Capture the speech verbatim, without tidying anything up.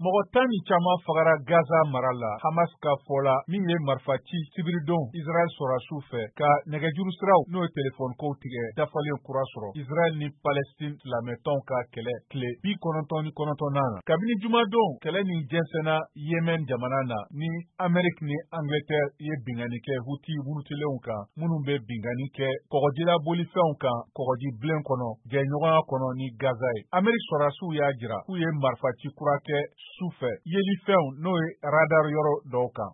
Mɔgɔ tan ni caman fagara Gaza mara la, Hamas ka fɔ la, min ye marifa ci sibiridon Israɛl sɔrɔdasiw fɛ ka nɛgɛjuru siraw, n'o ye telefɔni kow tigɛ, dafalen kura sɔrɔ Israɛl ni Palestine silamɛtɔnw ka kɛlɛ tile bi kɔnɔntɔn ni kɔnɔntɔnnan na. Kabini jumadon, kɛlɛ nin jɛnsɛnna Yemen jamana na, ni Amérique ni Angleterre ye binkanni kɛ Houthi murutilenw kan, minnu bɛ binkanni kɛ kɔgɔjila bolifɛnw kan kɔgɔji bilen kɔnɔ, jɛɲɔgɔnya kɔnɔ ni Gaza ye. Amérique sɔrɔdasiw y'a jira k'u ye marifaci kura kɛ su fɛ yelifɛnw, n'o ye radar yɔrɔ dɔw kan.